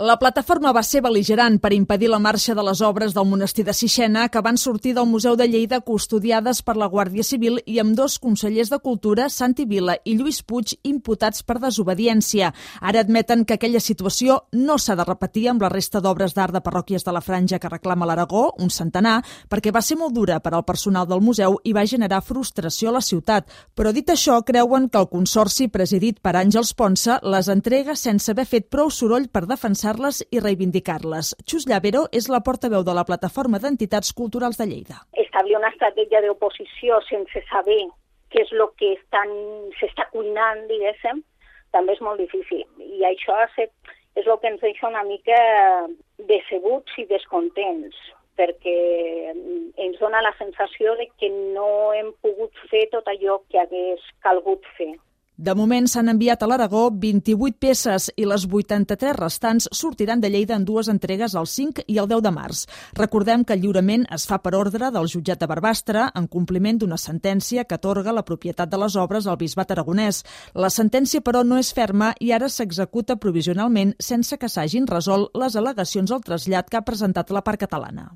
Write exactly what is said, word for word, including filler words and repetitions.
La plataforma va ser bel·ligerant per impedir la marxa de les obres del monestir de Sixena que van sortir del Museu de Lleida custodiades per la Guàrdia Civil i amb dos consellers de Cultura, Santi Vila i Lluís Puig, imputats per desobediència. Ara admeten que aquella situació no s'ha de repetir amb la resta d'obres d'art de parròquies de la Franja que reclama l'Aragó, un centenar, perquè va ser molt dura per al personal del museu i va generar frustració a la ciutat. Però dit això, creuen que el consorci presidit per Àngels Ponsa les entrega sense haver fet prou soroll per defensar les i reivindicar-les. Xus Llavero és la portaveu de la Plataforma d'Entitats Culturals de Lleida. Establir una estratègia d'oposició sense saber què és el que estan, s'està cuinant, diguéssim, també és molt difícil. I això és el que ens deixa una mica decebuts i descontents, perquè ens dona la sensació de que no hem pogut fer tot allò que hagués calgut fer. De moment s'han enviat a l'Aragó vint-i-vuit peces i les vuitanta-tres restants sortiran de Lleida en dues entregues el cinc i el deu de març. Recordem que el lliurament es fa per ordre del jutjat de Barbastre en compliment d'una sentència que atorga la propietat de les obres al bisbat aragonès. La sentència, però, no és ferma i ara s'executa provisionalment sense que s'hagin resolt les al·legacions al trasllat que ha presentat la part catalana.